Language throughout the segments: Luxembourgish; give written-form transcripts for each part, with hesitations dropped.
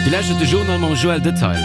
Dir lauschtert de Journal mam Joël Detail.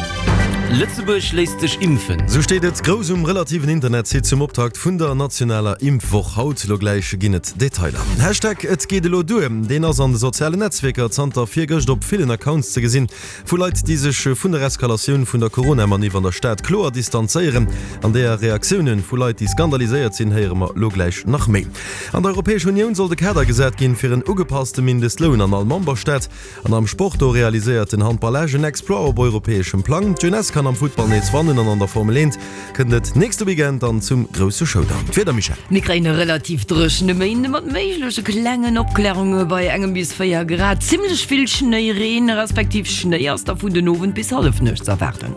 Lëtzebuerg léisst sech impfen. Sou steet et grouss um relativen Internetsite zum Optakt vun der nationaler Impfwoch. Haut lo gläich ginn et Detailer. Hashtag Et geet elo duer, deen ass an de sozialen Netzwierker zanter virgëscht op villen Accounts ze gesinn. Vu Leit, déi sech vun der Eskalatioun vun der Corona-Maniff an der Stad kloer distanzéieren. An deeër Reaktioune vu Leit, déi skandaliséiert sinn, héiere mer lo gläich nach méi. An der Europäescher Unioun soll de Kader gesat ginn, fir en ugepasste Mindestloun an all Memberstaat. An am Sport, do realiséiert den Handball Esch en Exploit op europäeschem Plang. D'Jeunesse kann am Futtball nees wannen an an der Formel 1 kënnt et nächste Weekend dann zum grousse Showdown. D'Wieder, Michèle? Mir kréien e relativ dréchene Méinde mat méigleche klengen Opklärunge bei engem bis 4 Grad. Zimmlech vill Schnéi, Reen respektiv Schnéi ass da vun den Owend bis Hallefnuecht z'erwaarden.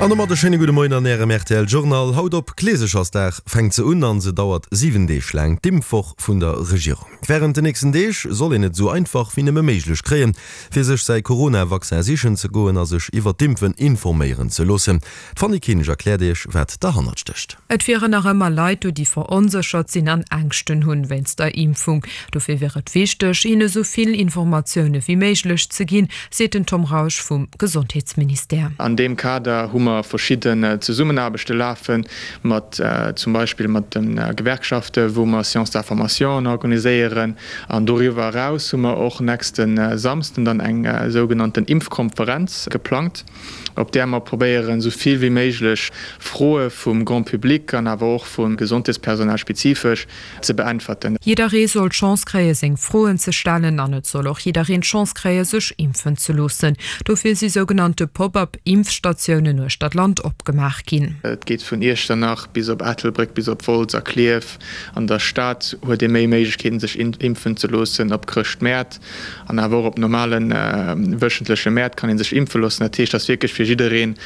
An domat e schéine gudde Moien an Ärem rtl Journal. Haut op Kleesechersdag fänkt se un an se dauert 7 Deeg laang, d'Impfwoch vun der Regierung. Wärend den nächsten Deeg soll een et esou einfach wéi nëmme méiglech kréien, fir sech säi Corona-Vaccin sichen ze goen a sech iwwer d'Impfen informéieren ze loossen. D'Fanny Kinsch erkläert Iech, wat derhannert stécht. Et wieren nach ëmmer Leit do, déi veronséchert sinn an Ängschten hunn wéinst der Impfung. Dofir wier et wichteg, hinne sou vill Informatioune wéi méiglech ze ginn, seet den Tom Rausch vum Gesondheetsministère. An deem Kader hu mer verschidden Zesummenaarbechte lafen, mat zum Beispill mat de Gewerkschaften, wou mer Séances d'information organiséieren. An doriwwer eraus hu mer och nächste Samsden dann eng sougenannten Impfkonferenz geplangt. op där mer probéieren, esou vill wéi méiglech Froe vum Grand public an awer och vum Gesondheetspersonal spezifesch ze beäntwerten. Jidderee soll d'Chance kréie seng Froen ze stellen an et soll och jiddereen d'Chance kréie sech impfen ze loossen. Dofir si sougenannte Pop-up Impfstatiounen uechter d'Land opgemaach ginn. Et geet vun Iechternach bis op Ettelbréck, bis op Wolz a Klierf. An der Stad huet ee méi Méiglechkeeten sech impfen ze loossen, op Chrëschtmäert. An awer och op normale wéchentleche Mäert kann ee sech impfe loossen. Dat heescht, et ass wierklech fir jiddereen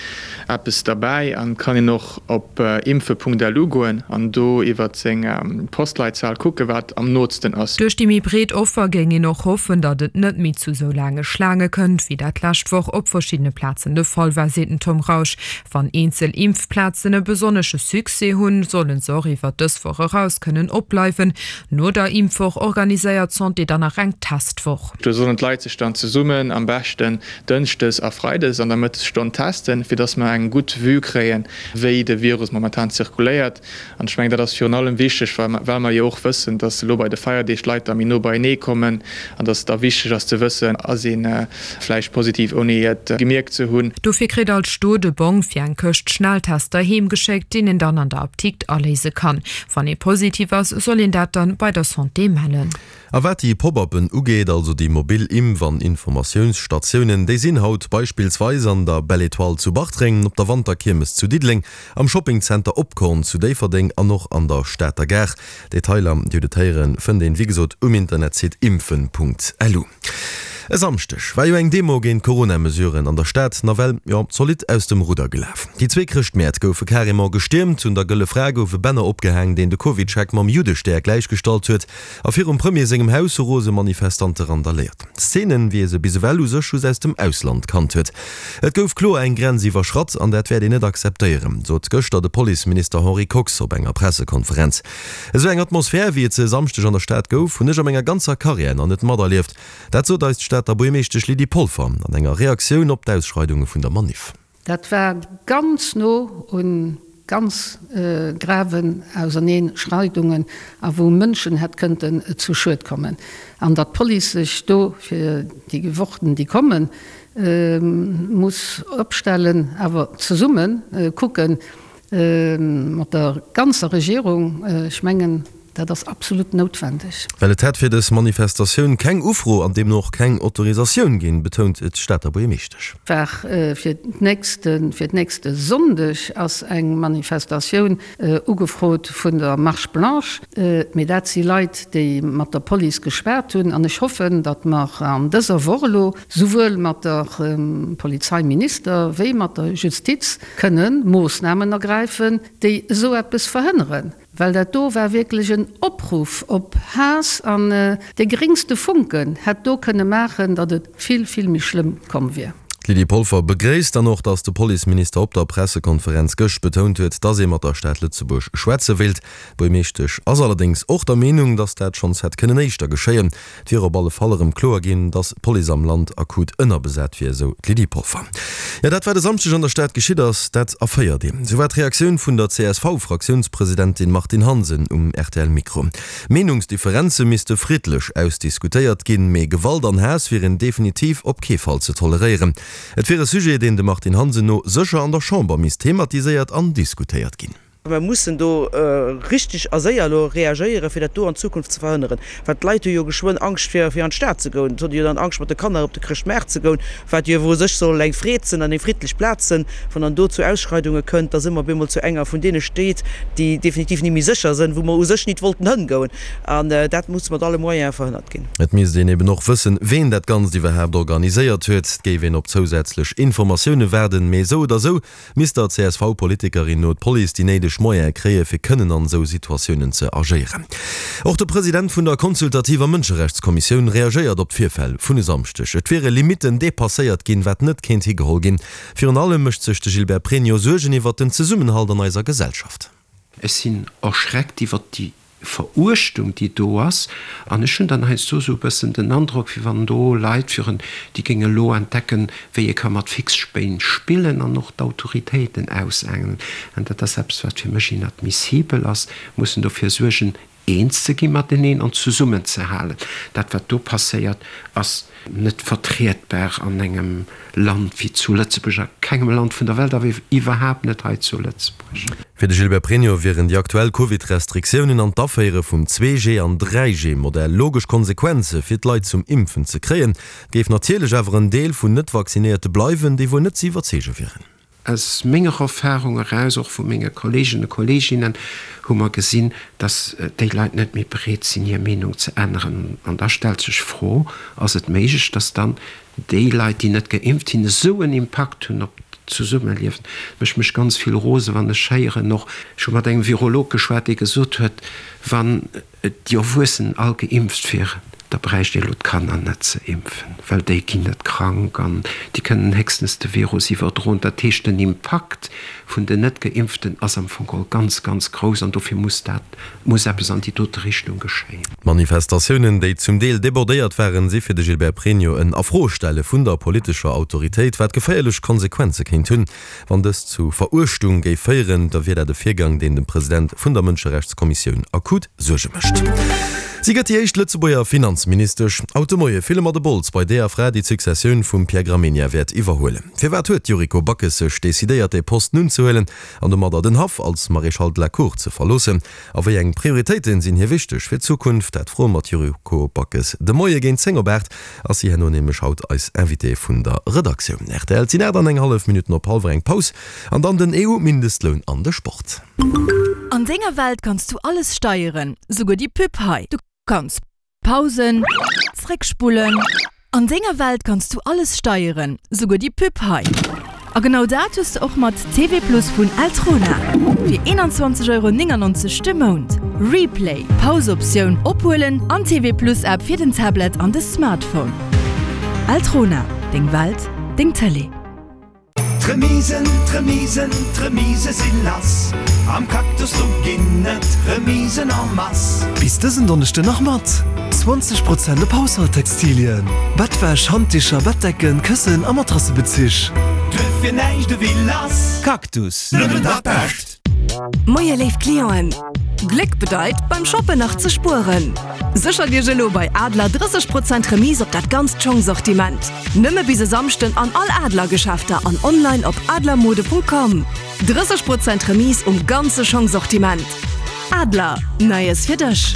eppes derbäi. An et kann een och op impfe.lu goen an do iwwer seng Postleitzahl kucken, wat am nootsten ass. Duerch déi méi breet Offer géing een och hoffen, datt et net méi zu sou laange Schlaange kënnt, wéi dat d'lescht Woch op verschiddene Plazen de Fall war, seet den Tom Rausch. Wann eenzel Impfplazen e besonnesche Succès hunn, solle se och iwwer dës Woch eraus kënnen opbleiwen. No der Impfwoch organiséiert d'Santé dann nach eng Testwoch. Do sollen d'Leit sech dann zesummen, am beschten dënschdes a freides an der Mëttesstonn testen, fir dass mer eng gutt Vue kréien, wéi de Virus momentan zirkuléiert. An ech mengen, dat ass virun allem wichteg, well mer jo och wëssen, dass elo bei de Feierdeeg d'Leit da méi no beienee kommen an dass et da wichteg ass ze wëssen, ass ee vläicht positiv, ouni et gemierkt ze hunn. Dofir kritt all Stot e Bong fir eng Këscht Schnelltester heem geschéckt, deen een dann an der Apdikt aléise kann. Wann ee positiv ass, soll een dat dann bei der Santé mellen. A wat déi Pop-uppen ugeet, also déi mobil Impf an Informatiounsstatiounen, déi sinn haut beispillsweis an der Belle Etoile zu Bartreng, op der Wanterkiermes zu Diddeleng, am Shoppingzenter Opkorn zu Déifferdeng an och an der Stater Gare. Detailer, Dir hutt et héieren, fënnt een wéi gesot um Internetsite impfen.lu. E Samschdeg war jo eng Demo géint d'Corona-Mesuren an der Stad nawell, jo, zolidd aus dem Rudder gelaf. Déi zwee Chrëschtmäert goufe carrément gestiermt, un der Gëlle Fra gouf e Banner opgehaang, deen de CovidCheck mam Juddestär gläichgestallt huet a virum Premier sengem Haus hu rose Manifestante randaléiert. Szenen, wéi ee se bis ewell u sech just aus dem Ausland kannt huet. Et gouf kloer eng Grenz iwwerschratt an dat wäert een net akzeptéieren, sot gëschter de Policeminister Henri Kox op enger Pressekonferenz. Esou eng Atmosphär, wéi et se e Samschdeg an der Stad gouf, hunn ech a menger ganzer Karriär nach net materlieft. Dat sot eis d'Stater Buergermeeschtesch Lydie Polfer an enger Reaktioun op d'Ausschreidunge vun der Maniff. Dat war ganz no un ganz graven Auserneenschreidungen a wou Mënschen hätt kënnten zu Schued kommen. An datt d'Police sech do fir déi Wochen déi kommen muss opstellen, awer zesumme kucken mat der ganzer Regierung, ech mengen, dat ass absolut noutwendeg. Well et hätt fir dës Manifestatioun keng Ufro an deemno och keng Autorisatioun ginn, betount d'Stater Buergermeeschtesch. War fir d'nächste Sonndeg ass eng Manifestatioun ugefrot vun der Marche Blanche, mee dat si Leit, déi mat der Police geschwat hunn. An ech hoffen, datt mer an dëser Woch elo souwuel mat der Polizeiminister wéi mat der Justiz kënne Moossnamen ergräifen, déi esou eppes verhënneren. Well dat do war wierklech en Opruff op Haass an dee geréngste Funken hätt do kënne maachen, datt et vill, vill méi schlëmm komm wier. D'Lydie Polfer begréisst dann och, datt de Policeminister op der Pressekonferenz gëscht betount huet, datt ee mat der Stad Lëtzebuerg schwätze wéilt. D'Buergmeeschtesch ass allerdéngs och der Meenung, datt dat schonns hätt kënnen éischter geschéien. Et wier op alle Fall erëm kloer ginn, datt d'Police am Land akut ënnerbesat wier, esou d'Lydie Polfer. Jo, dat wat e Samschdeg an der Stad geschitt ass, dat erféiert een. Esou war d'Reaktioun vun der CSV-Fraktiounspresidentin Martine Hansen um RTL-Mikro. Meenungsdifferenze misste friddlech ausdiskutéiert ginn, mee Gewalt an Haass wieren definitiv op kee Fall ze toleréieren. Et wier e Sujet, deen dem Martine Hansen no sécher an der Chamber misst thematiséiert an diskutéiert ginn. Mer mussen do richtig a séier elo reagéieren, fir dat do an Zukunft ze verhënneren. Well d'Leit hu jo geschwënn Angscht, fir an d'Stad ze goen. Et hunn jo dann Angscht, mat de Kanner op de Chrëschtmaart ze goen, wat jo u sech soll eng Freed sinn an eng friddlech Plaz sinn. Wann dann do zu Ausschreidunge kënnt, da si mer op eemol zu enger vun deene Stéit, déi definitiv ni méi sécher sinn, wou mer u sech nit wollten hëngoen. An dat muss mat alle Moyene verhënnert ginn. Et misst een eben och wëssen, ween dat Ganzt iwwerhaapt organiséiert huet. Et géif een op zousätzlech Informatioune waarden, mee esou oder esou misst der CSV-Politikerin no d'Police déi néideg Moyene kréie fir kënnen an esou Situatiounen ze agéieren. Och de President vun der consultativer Mënscherechtskommissioun reagéiert op d'Virfäll vun e Samschdeg. Et wiere Limitten depasséiert ginn, wat net kéint higeholl ginn. Virun allem mécht sech de Gilbert Pregno Suergen iwwert den Zesummenhalt an eiser Gesellschaft. Ech sinn erschreckt iwwert déi Veruechtung, déi do ass. An ech hunn dann heiansdo esou e bëssen den Androck, wéi wann do Leit wieren, déi géinge elo entdecken, wéi ee ka mat Fixspéin spillen an och d'Autoritéiten ausaangelen. An dat ass eppes, wat fir mech inadmissibel ass. Mir mussen dofir suergen, eens ze gi mateneen an zesummenzehalen. Dat, wat do passéiert, ass net vertrietbar an engem Land wéi zu Lëtzebuerg, a kengem Land vun der Welt, awer iwwerhaapt net hei zu Lëtzebuerg. Fir de Gilbert Pregno wieren déi aktuell Covid-Restriktiounen an d'Aféiere vum 2G an 3G-Modell logesch Konsequenze fir d'Leit zum Impfen ze kréien. Et géif natierlech awer en Deel vun Net-Vaccinéierte bleiwen, déi wuel net ze iwwerzeege wieren. Aus menger Erfahrung eraus, och vu menge Kolleegen a Kolleeginnen, hu mer gesinn, dass déi Leit net méi bereet sinn, hir Meenung ze änneren. An da stellt sech d'Fro, Ass et méiglech, dass dann déi Leit, déi net geimpft sinn, esou en Impakt hunn op d'Zesummeliewen? Et mécht mech ganz vill rosen, wann ech héieren och, ech hu mat engem Virolog geschwat, dee gesot huet, wann déi Erwuessen all geimpft wieren, da bräicht ee lo d'Kanner net ze impfen, well déi ginn net krank an déi kënnen héchstens de Virus iwwerdroen. Dat heescht, den Impakt vun den Net-Geimpften ass am Fong geholl ganz, ganz grouss an dofir muss dat, muss eppes an déi dote Richtung geschéien. D'Manifestatiounen, déi zum Deel debordéiert waren, si fir de Gilbert Pregno en Afroestelle vun der politescher Autoritéit, wat geféierlech Konsequenze kéint hunn. Wann dëst zu Veruechtung géif féieren, da wier dat e Virgang, deen dem President vun der Mënscherechtskommissioun akut Suerge mécht. Si gëtt déi éischt Lëtzebuerger Finanzministesch. Haut de Moie fille mer de Bols bei deeër Fra, déi d'Successioun vum Pierre Gramegna wäert iwwerhuelen. Firwat huet d'Yuriko Backes sech decidéiert, dee Posten unzehuelen an domadder den Haff als Maréchal de la Cour ze verloossen? A wéi eng Prioritéite sinn hir wichteg fir d'Zukunft? Dat froe mer d'Yuriko Backes de Moie géint 10 op 8. Ass si herno nämlech haut eis Invitée vun der Redaktioun. Rtl, Et sinn 8 an eng hallef Minutten op hallwer, eng Paus an dann den EU-Mindestloun an de Sport. An denger Welt kanns du alles steieren, souguer déi Pub hei. Du kanns pausen, zréckspullen. An denger Welt kanns du alles steieren, souguer déi Pub hei. A genau dat hues de och mat TV Plus vun Eltrona. Fir 21,99 Euro de Mount. Replay, Pause-Optioun, Ophuelen an TV Plus App fir den Tablet an de Smartphone. Eltrona, deng Welt, deng Tëlee. D'Remisen, d'Remisen, d'Remise si lass! Am Cactus do ginn et Remisen en masse! Bis dësen Donneschden nach mat 20 Prozent op Haushalttextilien, Bettwäsch, Handdicher, Bettdecken, Këssen a Matrassebezich. Duerfir näischt ewéi lass! Cactus, Nëmmen dat Bescht! Moie léif Clienten! Gléck bedeit beim Shoppen nach ze spueren. Séchert Iech elo bei Adler 30 Prozent Remise op dat ganzt Schongsortiment. Nëmme bis e Samschden an all Adler Geschäfter an online op adlermode.com. 30 Prozent Remise um ganze Schongsortiment. Adler, Neies fir dech!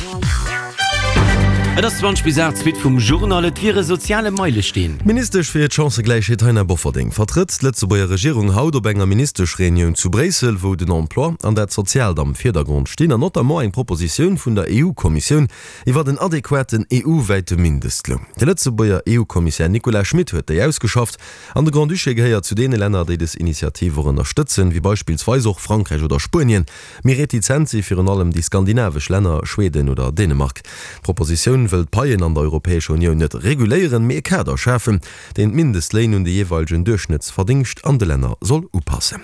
Et ass 20 bis 8, d'Suite vum Journal. Et wier e soziale Meilesteen. D'Ministesch fir d'Chancëgläichheet Taina Bofferding vertrëtt d'Lëtzebuerger Regierung haut op enger Ministeschreunioun zu Bréissel, wou den Emploi an dat Soziaalt am Virdergrond stinn an notamment eng Propositioun vun der EU-Kommissioun iwwert en adequaten EU-wäite Mindestloun. De Lëtzebuerger EU-Kommissär Nicolas Schmit huet déi ausgeschafft an de Grand-Duché gehéiert zu deene Länner, déi des Initiativ och ënnerstëtzen, wéi beispillsweis och Frankräich oder Spuenien. Méi retizent si virun allem déi skandinavesch Länner, Schweden oder Dänemark. D'Propositioun. D'Kommissioun wëll d'Paien an der Europäescher Unioun net reguléieren, mee e Kader schafen, deen d'Mindestléin un de jeeweilegen Duerchschnëttsverdingscht an de Länner soll upassen.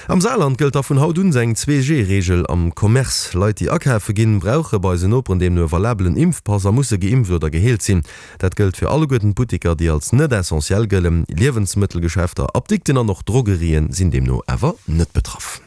Am Saarland gëllt da vun haut un eng 2G-Reegel am Commerce. Leit, déi akafe ginn, brauche bei eisen Noperen deemno e valabelen Impfpass a musse geimpft oder geheelt sinn. Dat gëllt fir alleguerten d'Butteker, déi als net essentiell gëllen. Liewensmëttelgeschäfter, Apdikten an och Drogerien sinn deemno awer net betraff.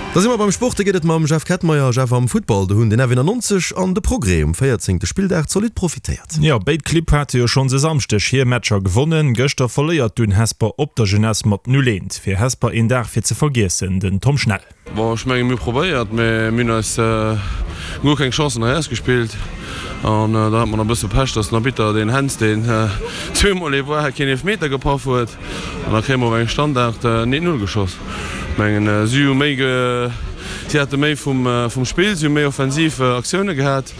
Da si mer beim Sport, do geet et mam Jeff Kettmeyer. Jeff, am Futtball, do hunn den F91 an de Progrès um 14. Spilldag zolidd profitéiert. Jo, béid Clibb hate jo schonns e Samschdeg hir Matcher gewonnen. Gëschter verléiert dunn Hesper op der Jeunesse mat 0, 1. Fir Hesper een Dag fir ze vergiessen, den Tom Schnell. Bon, ech mengen mir hu probéiert, mee mir hunn eis guer keng Chancen hei ausgespillt an da hat mer nach e bësse Pech, dass den Arbitter, deen Hens, deen zweemol ee war, keen Eelefmeter gepaff huet an da kréie mer op engem Standard en 1, 0 geschoss. Ech mengen si hu méi, si hate méi vum Spill, si hu méi offensiv Aktioune gehat.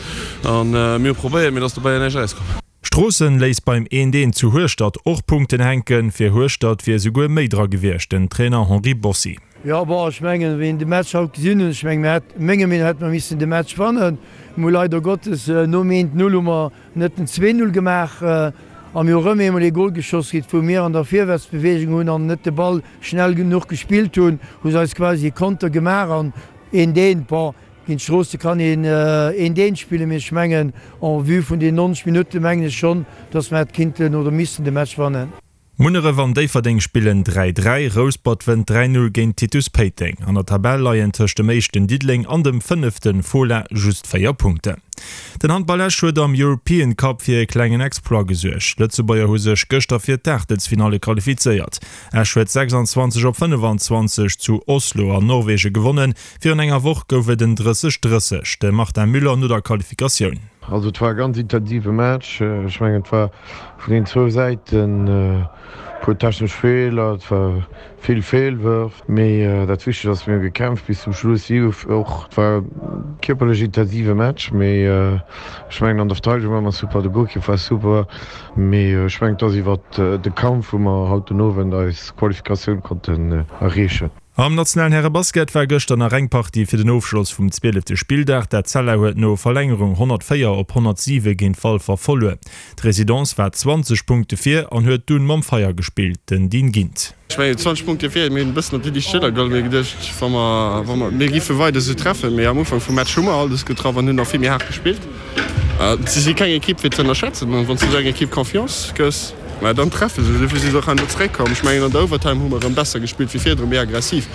An mir hu probéiert, mee et ass dobäi näischt erauskomm. Stroossen léisst beim Eent Eent zu Hueschtert och Punkten hänken. Fir Hueschtert wier esouguer méi dra gewiescht, den Trainer Henri Bossi. Jo, bon, ech mengen, wéi een de Match haut gesinn hunn, ech mengen, mir hätt, menger Meenung no hätte mer missen de Match wannen. Mir hu leider Gottes nom eent Null hu mer net den 2 Null gemaach a mir hu rëm eemol ee Gol geschoss kritt, wou mir an der Virwärtsbewegung hunn an net de Ball schnell genuch gespillt hunn, hu se eis quasi e Konter gemaach an eent Eent, bon, Géint Stroossen kann een eent eent spillen, mee ech mengen en vue vun den 90 Minutten mengen ech schonn, dass mer hätt kinnten oder missten de Match wannen. Munneref an Déifferdeng spillen 3, 3, Rouspert wënnt 3, 0 géint Titus Péiteng. An der Tabell leien tëscht dem éischten Diddeleng an dem fënnefte Fola just 4 Punkten. Den Handball Esch huet am European Cup fir e klengen Exploit gesuergt. D'Lëtzebuerger hu sech gëschter fir d'Aachtelsfinalle qualifizéiert. Esch huet 26 op 25 zu Oslo an Norwegen gewonnen. Virun enger Woch gouf et en 30, 30. De Martin Müller no der Qualifikatioun. Also et war e ganz intensive Match. Ech mengen et war vun den zwou Säiten e puer technesch Feeler, et war vill Feelwërf. Mee dat Wichtegst ass, mir hu gekämpft bis zum Schluss. Si hu och, et war e kierperlech intensive Match, mee ech mengen an der Verteidegung ware mer super, de Golkipp war super. Mee ech mengen et ass iwwert de Kampf wou mer haut den Owend eis Qualifikatioun konnten erreechen. Am nationalen Härebasket war gëschter nach eng Partie fir den Ofschloss vum zwielefte Spilldag. D'Etzella huet no Verlängerung 104 op 107 géint Walfer verluer. D'Residence war 20 Punkte vir an huet dunn mam Feier gespillt. Den Dean Gindt. Ech mengen 20 Punkte vir, mir hunn e bëssen op déi liicht Schëller geholl. Mir hu geduecht, wa mer, wa mer, mir géife weider esou treffen. Mee am Ufank vum Match hu mer alles getraff an hunn och vill méi haart gespillt. Si si keng Ekipp fir ze ënnerschätzen an wann s du esou enger Ekipp Confiance gëss, mä dann treffe se. Dofir si se och herno zeréckkomm. Ech mengen an der Overtime hu mer erëm besser gespillt wéi virdrun, méi aggressiv.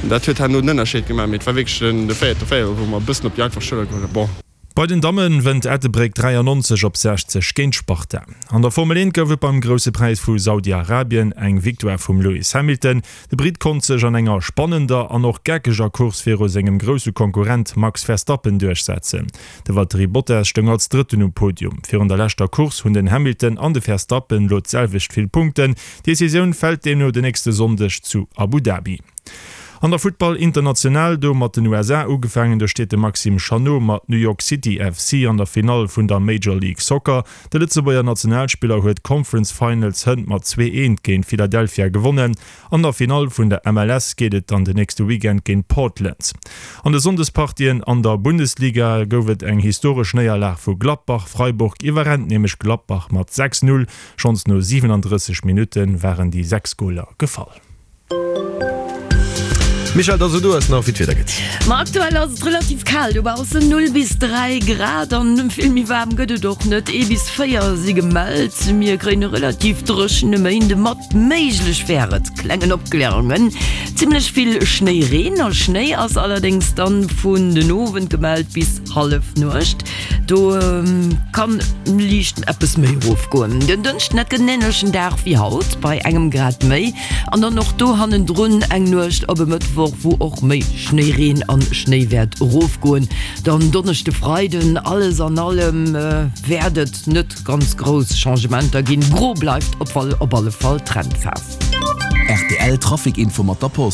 Dat huet herno den Ënnerscheed gemaach. Mee et war wierklech den de véierte Véierel, wou mer e bëssen op déi einfach Schëller geholl hunn. Bon. Bei den Damme wënnt Ettelbréck 93 op 60 géint Sparta. An der Formel 1 gouf et beim Grousse Präis vu Saudi-Arabien eng Victoire vum Lewis Hamilton. De Britt konnt sech an enger spannender an och geckeger Course viru sengem grousse Konkurrent Max Verstappen duerchsetzen. De Valtteri Bottas stoung als Drëtten um Podium. Virun der leschter Course hunn den Hamilton an de Verstappen lo d'selwecht vill Punkten. D'Decisioun fält deemno den nächste Sonndeg zu Abu Dhabi. An der Futtball International, do mat den USA ugefaangen, do steet de Maxime Chanot mat New York City FC an der Finall vun der Major League Soccer. De Lëtzebuerger Nationalspiller huet d'Conference Finals hënt mat 2, 1 géint Philadelphia gewonnen. An der Finall vun der MLS geet et dann den nächste Weekend géint Portland. An de Sonndespartien an der Bundesliga gouf et eng historesch Néierlag vu Gladbach. Freiburg iwwerrennt nämlech Gladbach mat 6, 0. Schonns no 37 Minutte waren déi 6 Goler gefall. Michèle, dass du eis nach wéi d'Wieder gëtt. Ma aktuell ass et relativ kal dobaussen, 0 bis 3 Grad an vill méi waarm gëtt et och net, ee bis 4 si gemellt. Mir kréien e relativ dréchene Méinde mat, méiglech wär et klengen Opklärungen, zimmlech vill Schnéireen a Schnéi ass allerdéngs dann vun den Owend gemellt bis Hallefnuecht. Do kann liicht eppes méi erofgoen. Den Dënschden, dat gëtt en änlechen Dag wéi haut, bei engem Grad méi. An dann och do hannendrun eng Nuecht op e Mëttwoch, wou och méi Schnéireen an Schnéi wäert erofgoen. Dann Donneschde, Freiden, alles an allem wäert et net ganz grouss Changementer ginn. Gro bleift op alle Fall d'Trendfaarf. Rtl Trafic Info mat der Post.